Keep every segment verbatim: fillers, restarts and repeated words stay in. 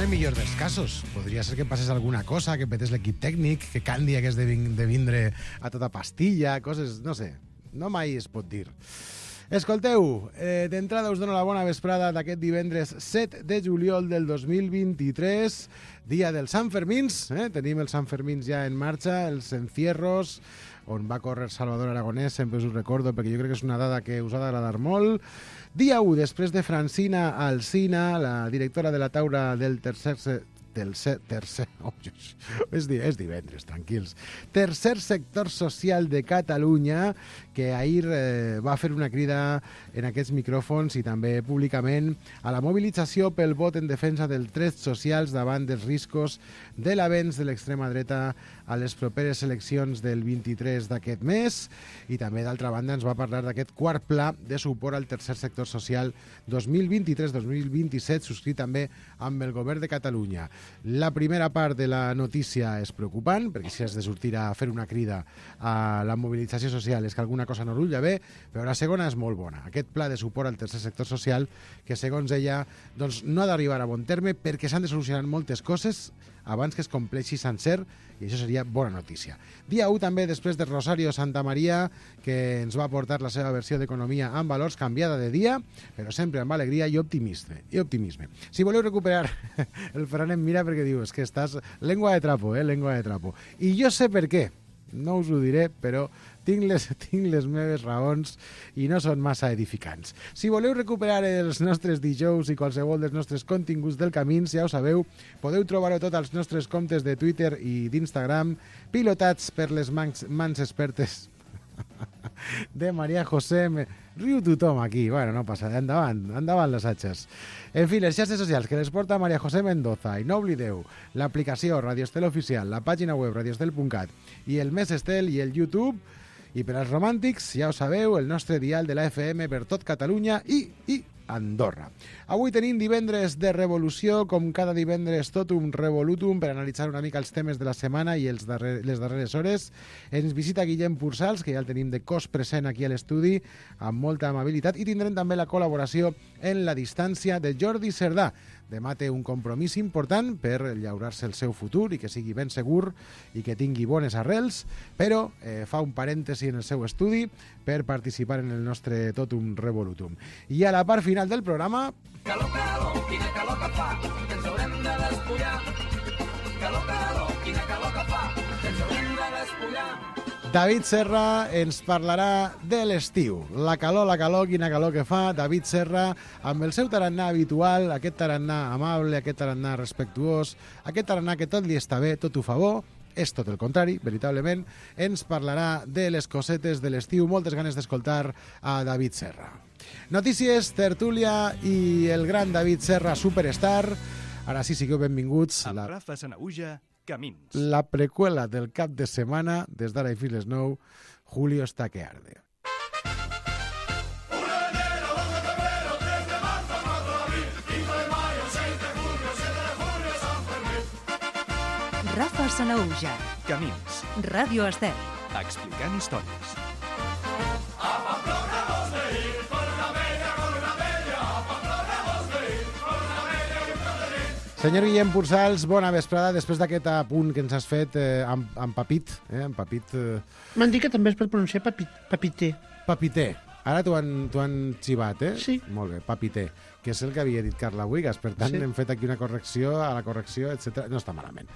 el millor dels casos. Podria ser que passés alguna cosa, que petés l'equip tècnic, que Candy hagués de, vin de vindre a tota pastilla, coses, no sé, no mai es pot dir. Escolteu, eh, d'entrada us dono la bona vesprada d'aquest divendres set de juliol del dos mil vint-i-tres, dia dels Sanfermins, eh? Tenim els Sanfermins ja en marxa, els encierros, on va córrer Salvador Aragonès, sempre us ho recordo, perquè jo crec que és una dada que us ha d'agradar molt. Dia u, després de Francina Alsina, la directora de la taula del tercer... del tercer... Oh, és, és divendres, tranquils. Tercer sector social de Catalunya, que ahir eh, va fer una crida en aquests micròfons i també públicament a la mobilització pel vot en defensa dels drets socials davant dels riscos de l'avenç de l'extrema dreta a les properes eleccions del vint-i-tres d'aquest mes, i també, d'altra banda, ens va parlar d'aquest quart pla de suport al tercer sector social dos mil vint-i-tres dos mil vint-i-set, subscrit també amb el govern de Catalunya. La primera part de la notícia és preocupant, perquè si has de sortir a fer una crida a la mobilització social és que alguna cosa no rulla bé, però la segona és molt bona. Aquest pla de suport al tercer sector social, que segons ella doncs, no ha d'arribar a bon terme perquè s'han de solucionar moltes coses abans que es compleixi sencer, i això seria bona notícia. Dia u també, després de Rosario Santamaría, que ens va portar la seva versió d'Economia amb valors, canviada de dia, però sempre amb alegria i optimisme. I optimisme. Si voleu recuperar, el Ferran em mira perquè diu, és que estàs lengua de trapo, eh, lengua de trapo. I jo sé per què. No us ho diré, però tinc les, tinc les meves raons i no són massa edificants. Si voleu recuperar els nostres dijous i qualsevol dels nostres continguts del Camins, ja ho sabeu, podeu trobar-ho tot als nostres comptes de Twitter i d'Instagram, pilotats per les mans, mans expertes de Maria José. Riu tothom aquí, bueno, no passa, endavant, endavant les atxes. En fi, les xarxes socials que les porta Maria José Mendoza, i no oblideu l'aplicació Radio Estel Oficial, la pàgina web radioestel punt cat i el Més Estel i el YouTube. I per als romàntics, ja ho sabeu, el nostre dial de la F M per tot Catalunya i, i Andorra. Avui tenim divendres de revolució, com cada divendres totum revolutum, per analitzar una mica els temes de la setmana i els darrer, les darreres hores. Ens visita Guillem Pursals, que ja el tenim de cos present aquí a l'estudi, amb molta amabilitat, i tindrem també la col·laboració en la distància de Jordi Cerdà. Demà té un compromís important per llaurar-se el seu futur i que sigui ben segur i que tingui bones arrels, però eh, fa un parèntesi en el seu estudi per participar en el nostre Totum Revolutum. I a la part final del programa... Calor, calor, quina calor que fa, que ens haurem de despullar. Calor, calor, quina calor que fa, que ens haurem de despullar. David Serra ens parlarà de l'estiu. La calor, la calor, quina calor que fa. David Serra, amb el seu tarannà habitual, aquest tarannà amable, aquest tarannà respectuós, aquest tarannà que tot li està bé, tot ho fa bo, és tot el contrari, veritablement, ens parlarà de les cosetes de l'estiu. Moltes ganes d'escoltar a David Serra. Notícies, tertúlia i el gran David Serra, superstar. Ara sí, sigueu benvinguts. Amb la... Rafa Sanauja, Camins. La preqüela del cap de setmana, des d'ara i fins les nou, Julio está que arde. Rafa Sanauja, Camins. Ràdio Estel. Explicant històries. Senyor Guillem Pursals, bona vesprada. Després d'aquest apunt que ens has fet eh, amb, amb papit, eh, amb papit... Eh... M'han dit que també es pot pronunciar papi, papité. Papité. Ara t'ho han, han xivat, eh? Sí. Molt bé, papité, que és el que havia dit Carla Buigas. Per tant, sí. Hem fet aquí una correcció a la correcció, etcètera. No està malament.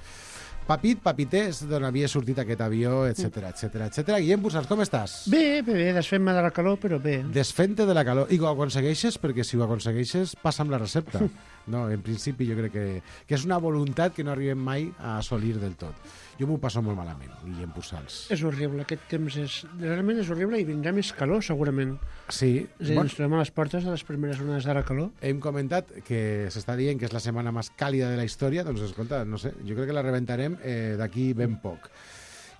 Papit, papité, és d'on havia sortit aquest avió, etcètera, etcètera, etcètera. Guillem Pursals, com estàs? Bé, bé, bé, desfent-me de la calor, però bé. Desfent-te de la calor. I ho aconsegueixes? Perquè si ho aconsegueixes, passa amb la recepta. No, en principi jo crec que, que és una voluntat que no arribem mai a assolir del tot. Jo m'ho passo molt malament, Guillem Pursals. És horrible, aquest temps és... Realment és horrible i vindrà més calor, segurament. Sí. És a dir, ens trobem a les portes de les primeres onades de la calor. Hem comentat que s'està dient que és la setmana més càlida de la història, doncs escolta, no sé, jo crec que la rebentarem eh, d'aquí ben poc.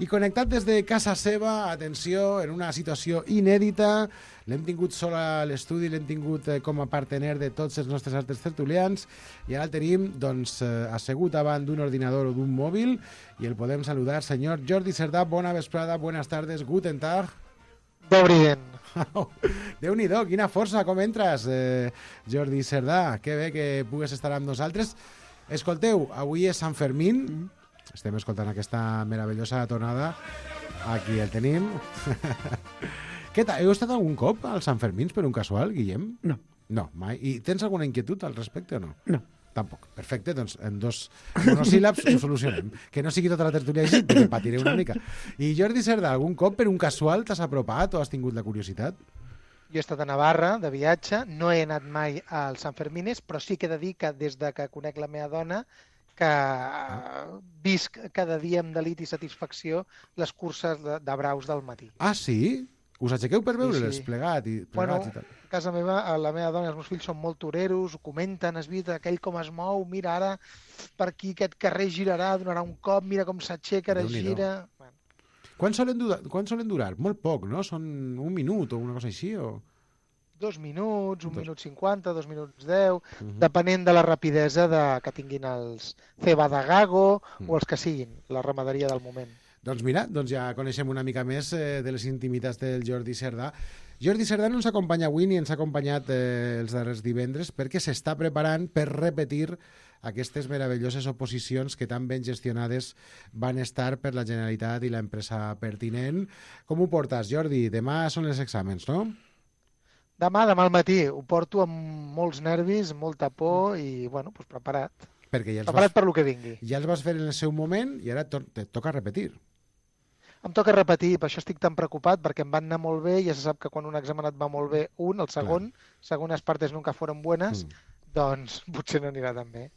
I connectat des de casa seva, atenció, en una situació inèdita, l'hem tingut sol a l'estudi, l'hem tingut eh, com a partener de tots els nostres altres tertulians, i ara el tenim doncs, eh, assegut davant d'un ordinador o d'un mòbil, i el podem saludar. Senyor Jordi Cerdà, bona vesprada, buenas tardes, guten tag. Dobriden. Déu-n'hi-do, quina força, com entres, eh, Jordi Cerdà? Que bé que pugues estar amb nosaltres. Escolteu, avui és Sant Fermín. Mm. Estem escoltant aquesta meravellosa tonada. Aquí el tenim. Què tal? Heu estat algun cop als Sant Fermins per un casual, Guillem? No. No, mai. I tens alguna inquietud al respecte o no? No. Tampoc. Perfecte, doncs en dos monosíl·labs ho solucionem. Que no sigui tota la tertúlia així, perquè patiré una mica. I Jordi Cerdà, algun cop per un casual t'has apropat o has tingut la curiositat? Jo he estat a Navarra de viatge, no he anat mai al Sant Fermines, però sí que he de dir que des de que conec la meva dona que visc cada dia amb delit i satisfacció les curses de, de braus del matí. Ah, sí? Us aixequeu per veure-les sí. plegat i, plegats Bueno, i tal? a casa meva, la meva dona i els meus fills són molt toreros, ho comenten, es vista aquell com es mou, mira ara per aquí aquest carrer girarà, donarà un cop, mira com s'aixeca, ara Déu-n'hi-do. gira... Bueno, Quan solen, durar, quan solen durar? Molt poc, no? Són un minut o una cosa així? O... dos minuts, un Dos. minut cinquanta, dos minuts deu, Mhm. depenent de la rapidesa de, que tinguin els ceba de gago Mm. o els que siguin, la ramaderia del moment. Doncs mira, doncs ja coneixem una mica més eh, de les intimitats del Jordi Cerdà. Jordi Cerdà no ens acompanya avui ni ens ha acompanyat eh, els darrers divendres perquè s'està preparant per repetir aquestes meravelloses oposicions que tan ben gestionades van estar per la Generalitat i l'empresa pertinent. Com ho portes, Jordi? Demà són els exàmens, no? Demà, demà al matí, ho porto amb molts nervis, molta por i, bueno, doncs preparat. Perquè ja els, Preparat vas, per lo que vingui. ja els vas fer en el seu moment i ara to te toca repetir. Em toca repetir, per això estic tan preocupat, perquè em van anar molt bé, ja se sap que quan un examen et va molt bé un, el segon, segones partes nunca foren buenas, Mm. doncs potser no anirà tan bé.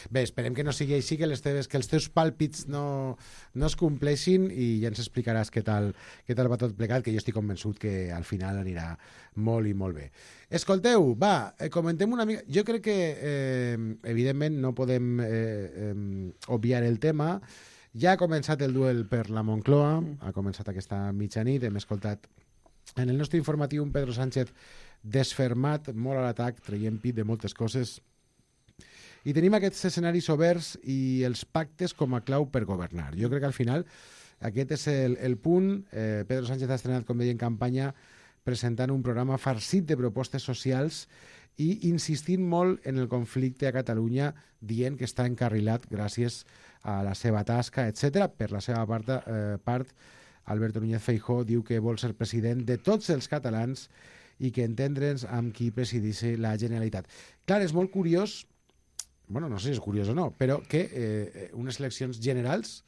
Bé, esperem que no sigui així, que, les teves, que els teus pàlpits no, no es compleixin i ja ens explicaràs què tal, què tal va tot plegat, que jo estic convençut que al final anirà molt i molt bé. Escolteu, va, eh, comentem una mica... Jo crec que, eh, evidentment, no podem eh, eh, obviar el tema. Ja ha començat el duel per la Moncloa, ha començat aquesta mitjanit, hem escoltat en el nostre informatiu un Pedro Sánchez desfermat, molt a l'atac, traient pit de moltes coses. I tenim aquests escenaris oberts i els pactes com a clau per governar. Jo crec que al final aquest és el, el punt. Eh, Pedro Sánchez ha estrenat, com deia, en campanya, presentant un programa farcit de propostes socials i insistint molt en el conflicte a Catalunya, dient que està encarrilat gràcies a la seva tasca, etcètera. Per la seva part, eh, part, Alberto Núñez Feijóo diu que vol ser president de tots els catalans i que entendre'ns amb qui presideix la Generalitat. Clar, és molt curiós, bueno, no sé si és curiós o no, però que eh, unes eleccions generals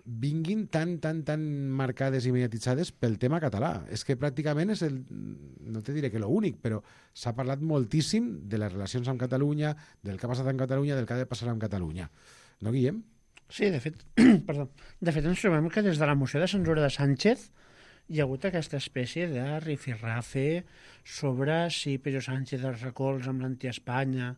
vinguin tan, tan, tan marcades i mediatitzades pel tema català. És que pràcticament és el, no te diré que l'únic, però s'ha parlat moltíssim de les relacions amb Catalunya, del que ha passat amb Catalunya, del que ha de passar amb Catalunya. No, Guillem? Sí, de fet, perdó. De fet, ens trobem que des de la moció de censura de Sánchez hi ha hagut aquesta espècie de rifirrafe sobre si Pedro Sánchez els recolza amb l'anti-Espanya,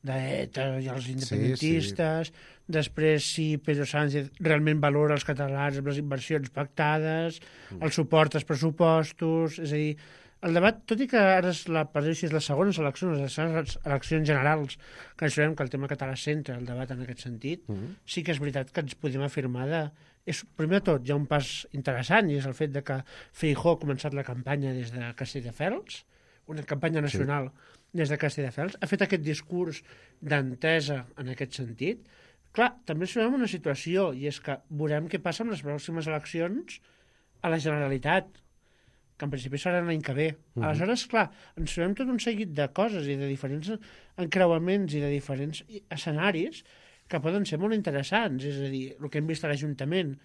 d'ETA i els independentistes, sí, sí. Després si Pedro Sánchez realment valora els catalans amb les inversions pactades, mm. el suport als pressupostos, és a dir, el debat, tot i que ara és la, per dir és les segones eleccions, les eleccions generals, que ens trobem que el tema català centra el debat en aquest sentit, mm. sí que és veritat que ens podem afirmar de... És, primer de tot, hi ha un pas interessant, i és el fet de que Feijóo ha començat la campanya des de Castelldefels, una campanya nacional sí. des de Castelldefels, ha fet aquest discurs d'entesa en aquest sentit. Clar, també ens trobem una situació, i és que veurem què passa amb les pròximes eleccions a la Generalitat, que en principi serà l'any que ve. Uh-huh. Aleshores, clar, ens trobem tot un seguit de coses i de diferents encreuaments i de diferents escenaris que poden ser molt interessants. És a dir, el que hem vist a l'Ajuntament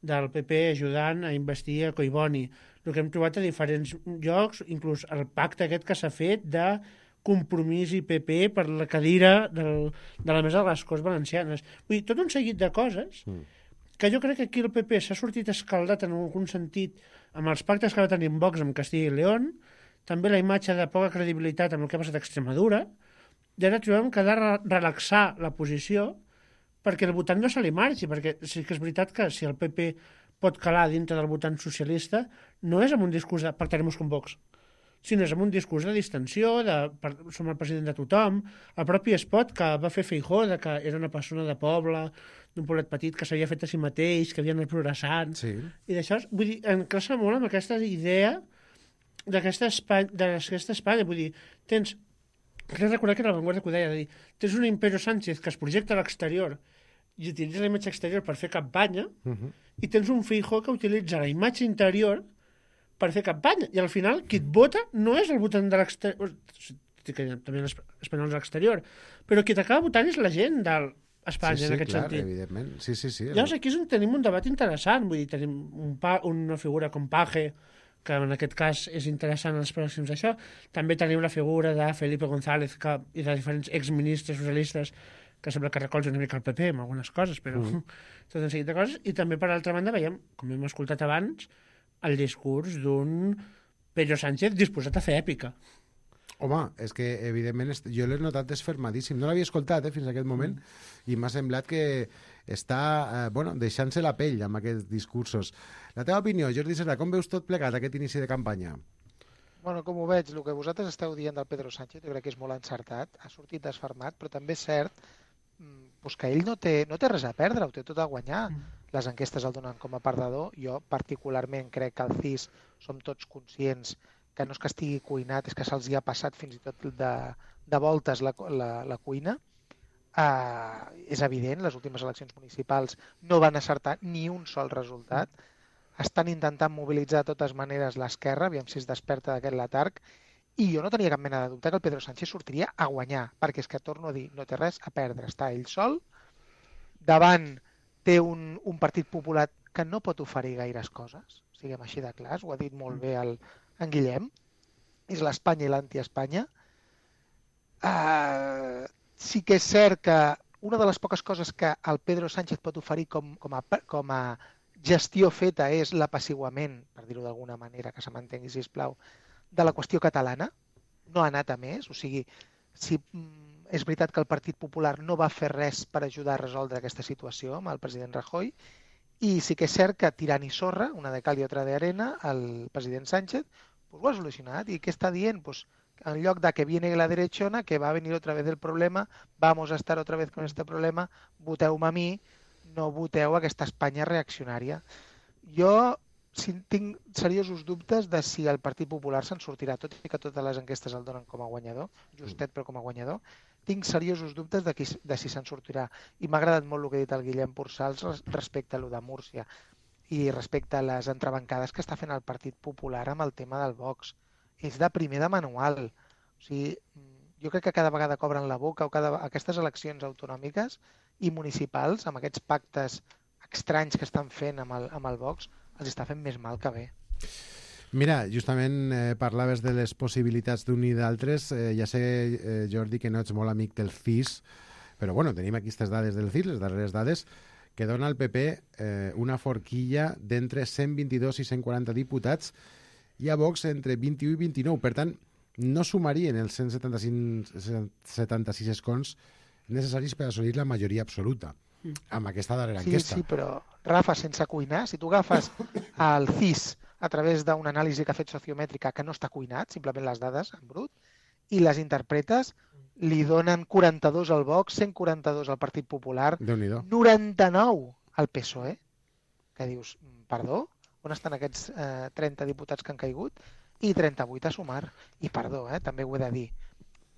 del P P ajudant a investir a Collboni, el que hem trobat a diferents llocs, inclús el pacte aquest que s'ha fet de Compromís i P P per la cadira del, de la mesa de les Corts Valencianes. Vull dir, tot un seguit de coses mm. que jo crec que aquí el P P s'ha sortit escaldat en algun sentit amb els pactes que va tenir en Vox amb Castilla i León, també la imatge de poca credibilitat amb el que ha passat a Extremadura, i ara trobem que ha de re relaxar la posició perquè el votant no se li marxi, perquè sí que és veritat que si el P P pot calar dintre del votant socialista, no és amb un discurs de pactarem con Vox, sinó és amb un discurs de distensió, de per, som el president de tothom, el propi spot que va fer Feijóo, de que era una persona de poble, d'un poblet petit que s'havia fet a si mateix, que havia anat progressant, sí. i d'això, vull dir, encaixa molt amb aquesta idea d'aquesta Espanya, d'aquesta Espanya, vull dir, tens Crec recordar que era la Vanguardia que ho deia, de dir, tens un Imperio Sánchez que es projecta a l'exterior i utilitza la imatge exterior per fer campanya, Uh -huh. i tens un Feijóo que utilitza la imatge interior per fer campanya, i al final qui et vota no és el votant de l'exterior, que també l'espanyol és l'exterior, però qui t'acaba votant és la gent d'Espanya, sí, sí, en aquest clar, sentit. evidentment. Sí, sí, sí. Llavors aquí és on tenim un debat interessant, vull dir, tenim un pa, una figura com Page, que en aquest cas és interessant en les pròxims d'això. També tenim la figura de Felipe González que, i de diferents exministres socialistes que sembla que recolzen una mica el P P amb algunes coses, però mm. tot un seguit de coses. I també, per altra banda, veiem, com hem escoltat abans, el discurs d'un Pedro Sánchez disposat a fer èpica. Home, és que, evidentment, jo l'he notat desfermadíssim. No l'havia escoltat eh, fins a aquest moment mm. i m'ha semblat que està eh, bueno, deixant-se la pell amb aquests discursos. La teva opinió, Jordi Serra, com veus tot plegat aquest inici de campanya? Bueno, com ho veig, el que vosaltres esteu dient del Pedro Sánchez, jo crec que és molt encertat, ha sortit desfermat, però també és cert pues, que ell no té, no té res a perdre, ho té tot a guanyar. Mm. Les enquestes el donen com a perdedor. Jo particularment crec que al C I S som tots conscients que no és que estigui cuinat, és que se'ls hi ha passat fins i tot de, de voltes la, la, la cuina. Uh, és evident, les últimes eleccions municipals no van acertar ni un sol resultat. Estan intentant mobilitzar de totes maneres l'esquerra, aviam si es desperta d'aquest letarg, i jo no tenia cap mena de dubte que el Pedro Sánchez sortiria a guanyar, perquè és que, torno a dir, no té res a perdre, està ell sol, davant té un, un partit popular que no pot oferir gaires coses, siguem així de clars, ho ha dit molt bé el, en Guillem, és l'Espanya i l'anti-Espanya. Uh, sí que és cert que una de les poques coses que el Pedro Sánchez pot oferir com, com, a, com a gestió feta és l'apaciguament, per dir-ho d'alguna manera, que se m'entengui, sisplau, de la qüestió catalana. No ha anat a més, o sigui, si mm, és veritat que el Partit Popular no va fer res per ajudar a resoldre aquesta situació amb el president Rajoy, i sí que és cert que tirant i sorra, una de cal i otra de arena, el president Sánchez pues, ho ha solucionat. I què està dient? Pues, en lloc de que viene la derechona, que va a venir otra vez el problema, vamos a estar otra vez con este problema, voteu-me a mi, no voteu aquesta Espanya reaccionària. Jo si tinc seriosos dubtes de si el Partit Popular se'n sortirà, tot i que totes les enquestes el donen com a guanyador, justet però com a guanyador, tinc seriosos dubtes de, qui, de si se'n sortirà. I m'ha agradat molt el que ha dit el Guillem Porçals respecte a lo de Múrcia i respecte a les entrebancades que està fent el Partit Popular amb el tema del Vox. És de primer de manual. O sigui, jo crec que cada vegada cobren la boca o cada, aquestes eleccions autonòmiques i municipals, amb aquests pactes estranys que estan fent amb el, amb el Vox, els està fent més mal que bé. Mira, justament eh, parlaves de les possibilitats d'un i d'altres. Eh, ja sé, eh, Jordi, que no ets molt amic del C I S, però bueno, tenim aquí aquestes dades del C I S, les darreres dades, que dona al P P eh, una forquilla d'entre cent vint-i-dos i cent quaranta diputats i a Vox entre vint-i-u i vint-i-nou. Per tant, no sumarien els cent setanta-cinc, setanta-sis escons necessaris per assolir la majoria absoluta amb aquesta darrera sí, enquesta. Sí, però, Rafa, sense cuinar, si tu agafes el C I S a través d'una anàlisi que ha fet sociomètrica que no està cuinat, simplement les dades en brut, i les interpretes, li donen quaranta-dos al Vox, cent quaranta-dos al Partit Popular, noranta-nou al P S O E, que dius, perdó, on estan aquests eh, trenta diputats que han caigut? I trenta-vuit a sumar. I perdó, eh, també ho he de dir.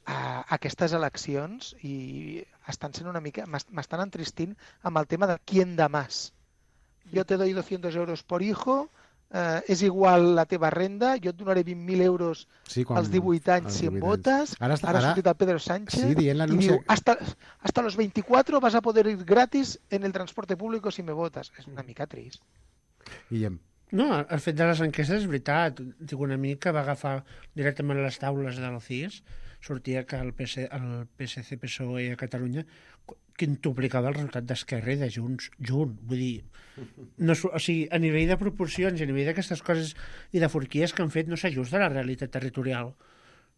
Uh, aquestes eleccions i estan sent una mica, m'estan entristint amb el tema de quién da más. Jo te doy doscientos euros por hijo, uh, és igual la teva renda, jo et donaré vint mil euros sí, quan, als divuit anys si em votes. Ara, està, ara ha sortit el Pedro Sánchez sí, i diu, hasta, hasta los veinticuatro vas a poder ir gratis en el transporte público si me votes. És una mica trist. Guillem. No, el fet de les enquestes és veritat. Dic, una mica va agafar directament les taules del C I S, sortia que el, P S, el P S C P S O E a Catalunya quintuplicava el resultat d'Esquerra i de Junts, junt. Vull dir, no, o sigui, a nivell de proporcions i a nivell d'aquestes coses i de forquies que han fet no s'ajusta a la realitat territorial.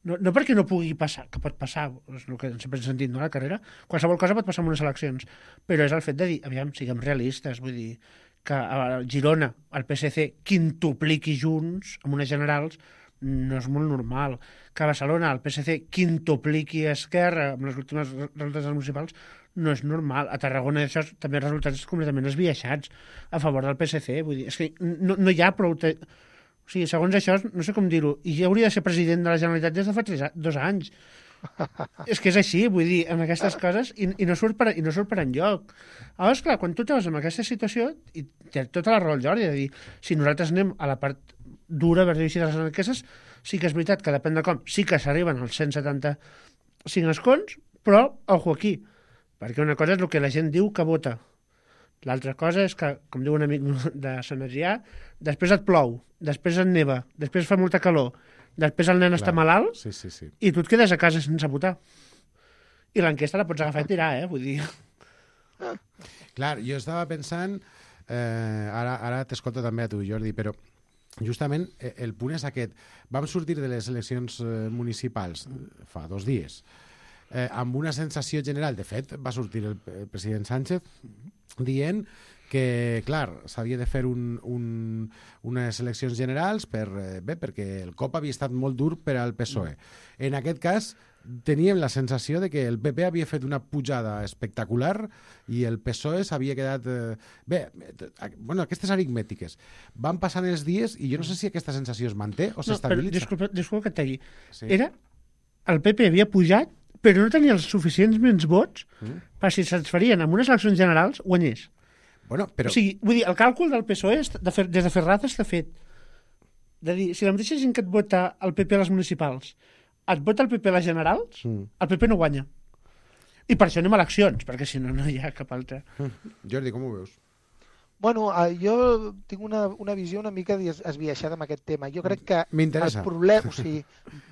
No, no perquè no pugui passar, que pot passar, és el que sempre hem sentit, no, a la carrera, qualsevol cosa pot passar en unes eleccions, però és el fet de dir, aviam, siguem realistes, vull dir, que a Girona el P S C quintupliqui Junts amb unes generals no és molt normal. Que a Barcelona el P S C quintupliqui Esquerra amb les últimes resultats municipals no és normal. A Tarragona això també resultats completament esbiaixats a favor del P S C. Vull dir, és que no, no hi ha prou... Te... O sigui, segons això, no sé com dir-ho, i ja hauria de ser president de la Generalitat des de fa tres, dos anys. És que és així, vull dir, amb aquestes coses, i, i, no, surt per, i no surt per enlloc. Llavors, clar, quan tu te vas en aquesta situació, i té tota la raó el Jordi, de dir, si nosaltres anem a la part dura, per dir així, de les enquestes, sí que és veritat que depèn de com, sí que s'arriben als cent setanta-cinc escons, però, ojo aquí, perquè una cosa és el que la gent diu que vota. L'altra cosa és que, com diu un amic de Sant Adrià, després et plou, després et neva, després fa molta calor, després el nen Clar. està malalt, Sí, sí, sí. i tu et quedes a casa sense votar. I l'enquesta la pots agafar i tirar, eh? Vull dir... Clar, jo estava pensant, eh, ara, ara t'escolto també a tu, Jordi, però justament eh, el punt és aquest. Vam sortir de les eleccions eh, municipals eh, fa dos dies eh, amb una sensació general. De fet, va sortir el, el president Sánchez dient que, clar, s'havia de fer un, un, unes eleccions generals per, eh, bé, perquè el cop havia estat molt dur per al P S O E. En aquest cas, teníem la sensació de que el P P havia fet una pujada espectacular i el P S O E s'havia quedat... Eh, bé, eh, bueno, aquestes aritmètiques. Van passant els dies i jo no sé si aquesta sensació es manté o No, però s'estabilitza. disculpa, disculpa que et talli. Sí. Era... El P P havia pujat, però no tenia els suficients menys vots Mm. per si se'ls farien en unes eleccions generals, guanyés. Bueno, però... O sigui, vull dir, el càlcul del P S O E est- de fer, des de Ferraz està fet. De dir, si la mateixa gent que et vota el P P a les municipals et vota el P P a les generals, Mm. el P P no guanya. I per això anem a eleccions, perquè si no, no hi ha cap altra. Jordi, com ho veus? Bueno, eh, jo tinc una, una visió una mica des- esbiaixada amb aquest tema. Jo crec que el M'interessa. problema... O sigui,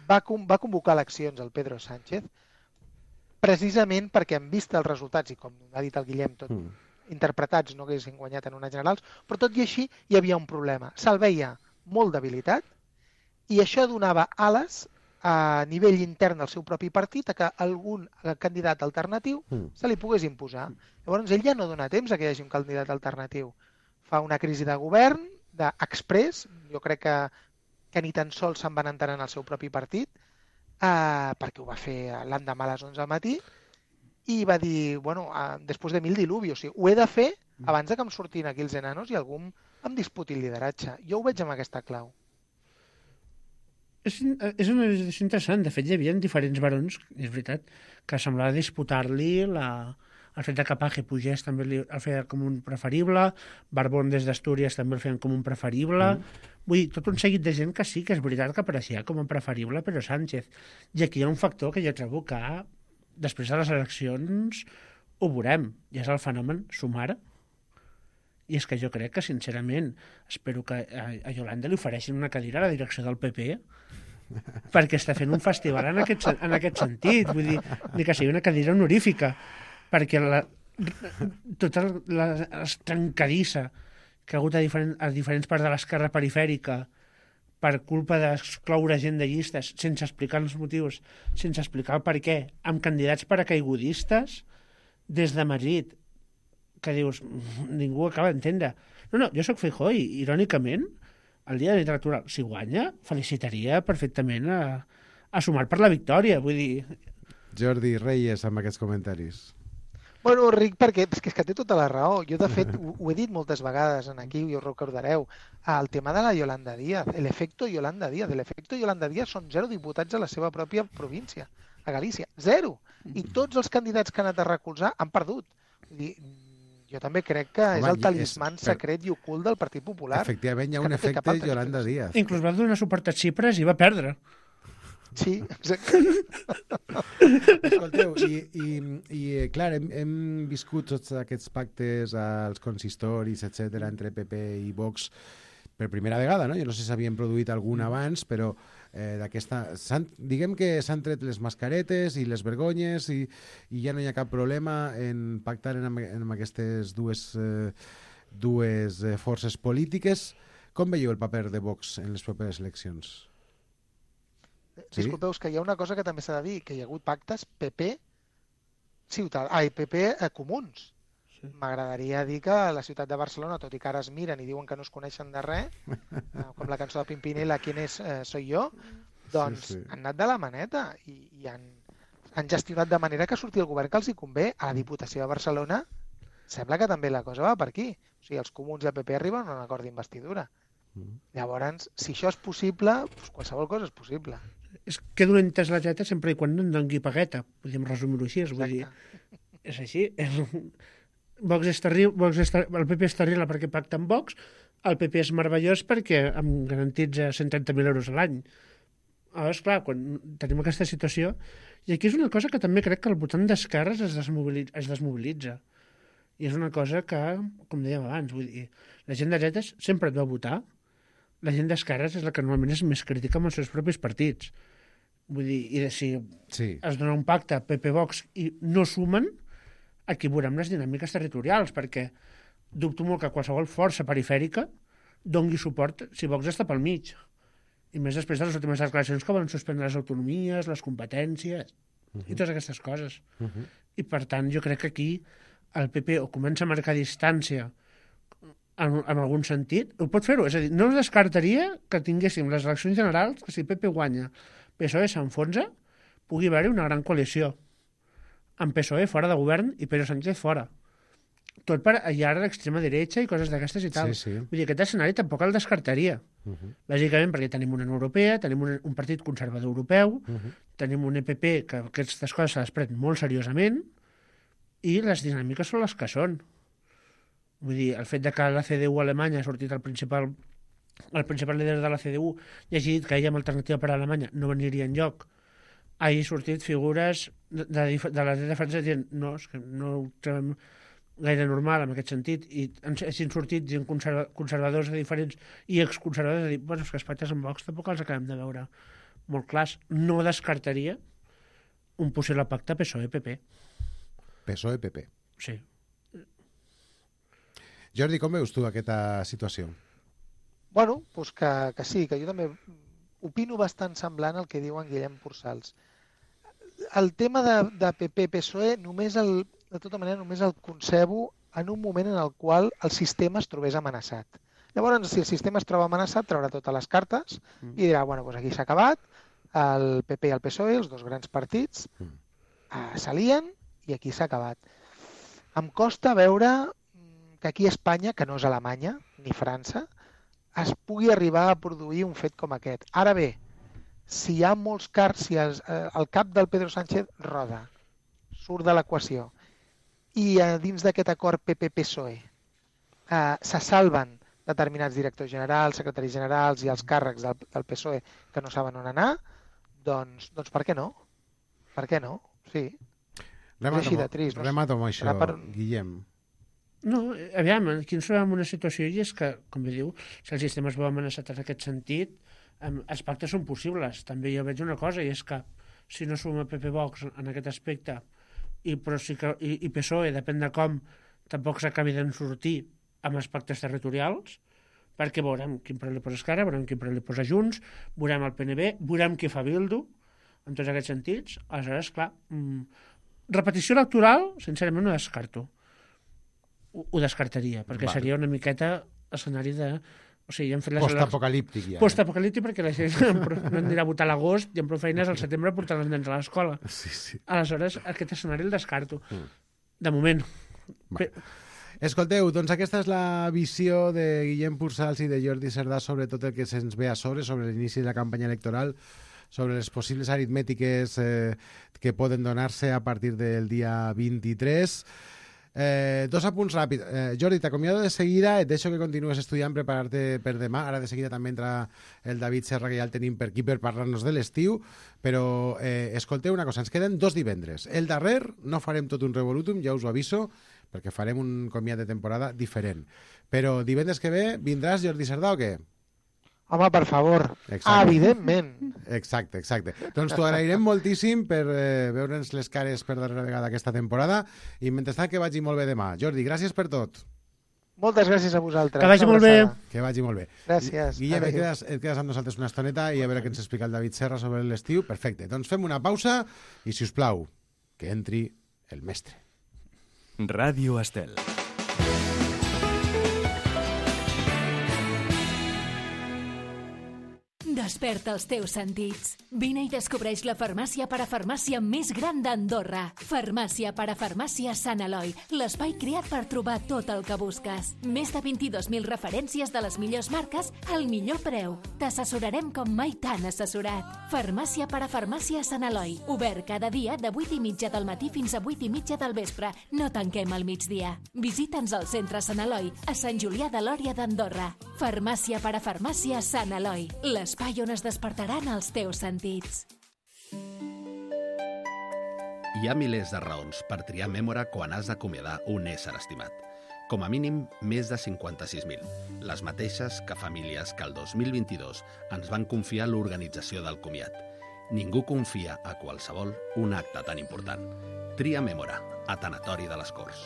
va, con- va convocar eleccions el Pedro Sánchez precisament perquè en vista els resultats, i com ha dit el Guillem, tot Mm. interpretats no haguessin guanyat en unes generals, però tot i així hi havia un problema. Se'l veia molt debilitat i això donava ales a nivell intern del seu propi partit a que algun candidat alternatiu Mm. se li pogués imposar. Llavors ell ja no dona temps a que hi hagi un candidat alternatiu. Fa una crisi de govern, d'exprés, jo crec que, que ni tan sols se'n van enterar en el seu propi partit, eh, perquè ho va fer l'endemà a les onze del matí, i va dir, bueno, eh, després de mil diluvios, o sigui, ho he de fer abans de que em surtin aquí els enanos i algú em, em disputi el lideratge. Jo ho veig amb aquesta clau. És, és una decisió interessant. De fet, hi havia diferents barons, és veritat, que semblava disputar-li la... el fet de que Paje pugés també li, el feia com un preferible, Barbón des d'Astúries també el feien com un preferible. Mm. Vull dir, tot un seguit de gent que sí que és veritat que apareixia com un preferible, però Sánchez. I aquí hi ha un factor que jo trobo que després de les eleccions ho veurem, i és el fenomen Sumar. I és que jo crec que, sincerament, espero que a, a Yolanda li ofereixin una cadira a la direcció del P P perquè està fent un festival en aquest, sen- en aquest sentit. Vull dir, ni que sigui una cadira honorífica, perquè la, tota la, la trencadissa que ha hagut a, diferent, a diferents parts de l'esquerra perifèrica per culpa d'excloure gent de llistes sense explicar els motius, sense explicar el per què, amb candidats paracaigudistes des de Madrid, que dius, ningú acaba d'entendre. No, no, jo sóc Feijóo i, irònicament, el dia de literatura, si guanya, felicitaria perfectament a, a Sumar per la victòria. Vull dir, Jordi Reyes, amb aquests comentaris. Bueno, Ric, perquè és que, és que té tota la raó. Jo, de fet, ho, ho he dit moltes vegades en aquí, i ho recordareu, el tema de la Yolanda Díaz, l'efecte Yolanda Díaz. L'efecte Yolanda Díaz són zero diputats a la seva pròpia província, a Galícia. Zero. I tots els candidats que han anat a recolzar han perdut. Vull dir, jo també crec que Home, és el i talismán és- per- secret i ocult del Partit Popular. Efectivament, hi ha que un no té cap efecte altra Yolanda explicació. Díaz. inclús va donar suport a Xipres i va perdre. Sí, exacte. Escolteu, i, i, i eh, clar, hem, hem viscut tots aquests pactes als consistoris, etcètera, entre P P i Vox per primera vegada, no? Jo no sé si s'havien produït algun abans, però eh, d'aquesta... s'han- Diguem que s'han tret les mascaretes i les vergonyes i, i ja no hi ha cap problema en pactar en, amb- en aquestes dues, eh, dues eh, forces polítiques. Com veieu el paper de Vox en les properes eleccions? Sí? Disculpeu, és que hi ha una cosa que també s'ha de dir, que hi ha hagut pactes P P ciutat... Ai, P P eh, comuns. Sí. M'agradaria dir que a la ciutat de Barcelona, tot i que ara es miren i diuen que no es coneixen de res, eh, com la cançó de Pimpinela, ¿Quién es eh, soy yo? Doncs Sí, sí. han anat de la maneta i, i han, han gestionat de manera que surti el govern que els hi convé. A la Diputació de Barcelona sembla que també la cosa va per aquí. O sigui, els comuns i el P P arriben a un acord d'investidura. Mm. Llavors, si això és possible, doncs qualsevol cosa és possible. és que dolenta és la dreta sempre i quan no en doni pagueta, podríem resumir-ho així, vull dir, és així. És... Vox és terrible, Vox és ter... el P P és terrible perquè pacta amb Vox, el P P és meravellós perquè em garantitza cent trenta mil euros a l'any. Aleshores, clar, quan tenim aquesta situació, i aquí és una cosa que també crec que el votant d'esquerres es, desmobilitza, es desmobilitza. I és una cosa que, com dèiem abans, vull dir, la gent de dretes sempre et va votar, la gent d'esquerres és la que normalment és més crítica amb els seus propis partits. Vull dir, i de, si sí. es dona un pacte P P-Vox i no sumen, aquí veurem les dinàmiques territorials, perquè dubto molt que qualsevol força perifèrica dongui suport si Vox està pel mig. I més després de les últimes declaracions que van suspendre les autonomies, les competències uh-huh. i totes aquestes coses. Uh-huh. I per tant, jo crec que aquí el P P o comença a marcar distància en, en algun sentit, ho pot fer-ho, és a dir, no es descartaria que tinguéssim les eleccions generals, que si P P guanya, P S O E s'enfonsa, pugui haver-hi una gran coalició, amb P S O E fora de govern i Pedro Sánchez fora. Tot per allar l'extrema dreta i coses d'aquestes i tal. Sí, sí. Vull dir, aquest escenari tampoc el descartaria. Uh-huh. Bàsicament perquè tenim una Unió Europea, tenim un, un partit conservador europeu, uh-huh. tenim un E P P que aquestes coses se les pren molt seriosament i les dinàmiques són les que són. Vull dir, el fet de que la C D U a Alemanya ha sortit el principal, el principal líder de la C D U i hagi dit que ella amb alternativa per a Alemanya no veniria enlloc, hagi sortit figures de, de, de la dreta francesa dient no, és que no ho trobem gaire normal en aquest sentit, i hagin sortit gent conserva, conservadors de diferents i exconservadors a dir, bueno, és que els pactes amb Vox tampoc els acabem de veure molt clars. No descartaria un possible pacte P S O E-P P. P S O E-P P. Sí. Jordi, com veus tu aquesta situació? Bueno, doncs que, que sí, que jo també opino bastant semblant al que diuen Guillem Pursalls. El tema de, de P P-P S O E només el, de tota manera només el concebo en un moment en el qual el sistema es trobés amenaçat. Llavors, si el sistema es troba amenaçat, traurà totes les cartes i dirà, bueno, doncs aquí s'ha acabat, el P P i el P S O E, els dos grans partits, eh, s'alien i aquí s'ha acabat. Em costa veure que aquí a Espanya, que no és Alemanya ni França, es pugui arribar a produir un fet com aquest. Ara bé, si hi ha molts cars, si el, el cap del Pedro Sánchez roda, surt de l'equació, i a dins d'aquest acord P P-P S O E eh, se salven determinats directors generals, secretaris generals i els càrrecs del, del P S O E que no saben on anar, doncs, doncs per què no? Per què no? Sí. Remato, trist, no? Remato amb això, per... Guillem. No, aviam, aquí ens trobem una situació i és que, com bé diu, si el sistema es veu amenaçat en aquest sentit, eh, els pactes són possibles. També jo veig una cosa, i és que si no suma P P-Vox en aquest aspecte i, però sí que, i, i P S O E, depèn de com, tampoc s'acabi d'en sortir amb els pactes territorials, perquè veurem quin preu li posa Esquerra, veurem quin preu li posa Junts, veurem el P N B, veurem qui fa Bildu, en tots aquests sentits. Aleshores, clar, mmm, repetició electoral, sincerament, no descarto. Ho, ho descartaria, perquè vale. Seria una miqueta escenari de... O sigui, hem fet les post-apocalíptic ja. Post-apocalíptic perquè la gent no anirà a votar a l'agost i amb prou feines al setembre portant els nens a l'escola. Sí, sí. Aleshores, aquest escenari el descarto. Mm. De moment. Va. Escolteu, doncs aquesta és la visió de Guillem Pursalls i de Jordi Cerdà sobre tot el que se'ns ve a sobre, sobre l'inici de la campanya electoral, sobre les possibles aritmètiques eh, que poden donar-se a partir del dia vint-i-tres. Eh, dos apunts ràpids. Eh, Jordi, t'acomiado de seguida, et deixo que continues estudiant, preparar-te per demà. Ara de seguida també entra el David Serra, que ja el tenim per aquí per parlar-nos de l'estiu, però eh, escolteu una cosa, ens queden dos divendres. El darrer no farem tot un revolutum, ja us ho aviso, perquè farem un comiat de temporada diferent. Però divendres que ve vindràs, Jordi Cerdà, o què? Home, per favor, exacte. Evidentment. Exacte, exacte. Doncs t'ho agrairem moltíssim per eh, veure'ns les cares per darrera vegada aquesta temporada i mentrestant que vagi molt bé demà. Jordi, gràcies per tot. Moltes gràcies a vosaltres. Que vagi molt bé. Que vagi molt bé. Gràcies. Guillem, et quedes, et quedes amb nosaltres una estoneta i a veure què ens explica el David Serra sobre l'estiu. Perfecte. Doncs fem una pausa i, si us plau, que entri el mestre. Ràdio Estel. Desperta els teus sentits. Vine i descobreix la farmàcia parafarmàcia més gran d'Andorra. Farmàcia parafarmàcia Sant Eloi, l'espai creat per trobar tot el que busques. Més de vint-i-dos mil referències de les millors marques al millor preu. T'assessorarem com mai t'han assessorat. Farmàcia parafarmàcia Sant Eloi, obert cada dia de vuit i mitja del matí fins a vuit i mitja del vespre. No tanquem al migdia. Visita'ns al centre Sant Eloi, a Sant Julià de Lòria d'Andorra. Farmàcia parafarmàcia Sant Eloi, l'espai on es despertaran els teus sentits. Hi ha milers de raons per triar Mémora quan has d'acomiadar un ésser estimat. Com a mínim, més de cinquanta-sis mil. Les mateixes que famílies que el dos mil vint-i-dos ens van confiar l'organització del comiat. Ningú confia a qualsevol un acte tan important. Tria Mémora, a Tanatori de les Corts.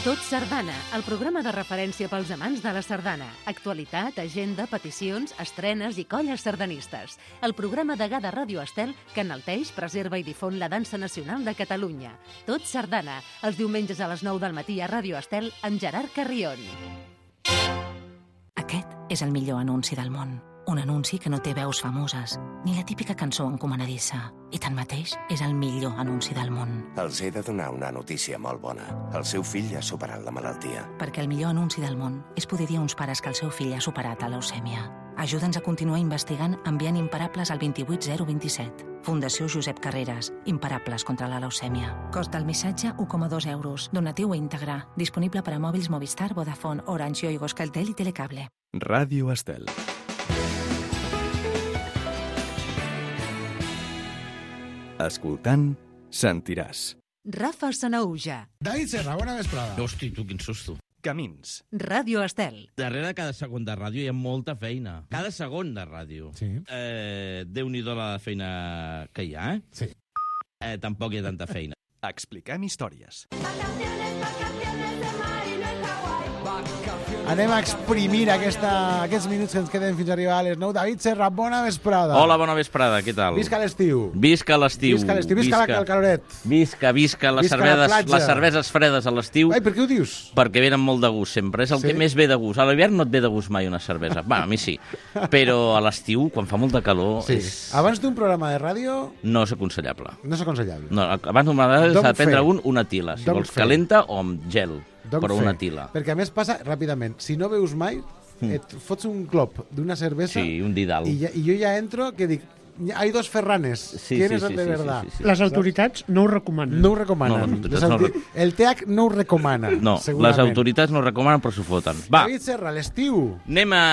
Tot Sardana, el programa de referència pels amants de la sardana. Actualitat, agenda, peticions, estrenes i colles sardanistes. El programa degà de Ràdio Estel que enalteix, preserva i difon la dansa nacional de Catalunya. Tot Sardana, els diumenges a les nou del matí a Ràdio Estel amb Gerard Carrion. Aquest és el millor anunci del món. Un anunci que no té veus famoses, ni la típica cançó encomanadissa. I tanmateix és el millor anunci del món. Els he de donar una notícia molt bona. El seu fill ha superat la malaltia. Perquè el millor anunci del món és poder dir a uns pares que el seu fill ha superat la leucèmia. Ajuda'ns a continuar investigant enviant Imparables al dos vuit zero dos set. Fundació Josep Carreras. Imparables contra la leucèmia. Cost del missatge u coma dos euros. Donatiu íntegre. Disponible per a mòbils Movistar, Vodafone, Orange, Yoigo, Euskaltel i Telecable. Ràdio Estel. Escoltant, sentiràs. Rafa Sanauja. David Serra, bona vesprada. Hosti, tu, quin susto. Camins. Ràdio Estel. Darrere cada segon de ràdio hi ha molta feina. Cada segon de ràdio. Sí. Eh, Déu-n'hi-do la feina que hi ha, eh? Sí. Eh, tampoc hi ha tanta feina. Expliquem històries. Anem a exprimir aquesta, aquests minuts que ens queden fins a arribar a les nou. David Serra, bona vesprada. Hola, bona vesprada, què tal? Visca l'estiu. Visca l'estiu. Visca l'estiu, visca, visca el caloret. Visca, visca, les, visca cerveses, les cerveses fredes a l'estiu. Ai, per què ho dius? Perquè venen molt de gust sempre, és el sí? que més ve de gust. A l'hivern no et ve de gust mai una cervesa. Bueno, a mi sí. Però a l'estiu, quan fa molta calor... Sí. És... Abans d'un programa de ràdio... No és aconsellable. No és aconsellable. No, abans d'un programa de ràdio s'ha de prendre un, una tila. Si Don't vols fer. calenta o amb gel. Don't però fer. una tila. Perquè a més passa ràpidament. Si no veus mai, et fots un clop d'una cervesa sí, un didal. I, ja, i jo ja entro que dic, hay dos Ferranes. Sí, ¿Quién sí, es el sí, de sí, verdad? sí, sí, sí. Les autoritats no ho recomanen. No ho recomanen. No, les autoritats no autor... El T H no ho recomana. No, segurament. les autoritats no ho recomanen, però s'ho foten. Va, David Serra, l'estiu. anem a...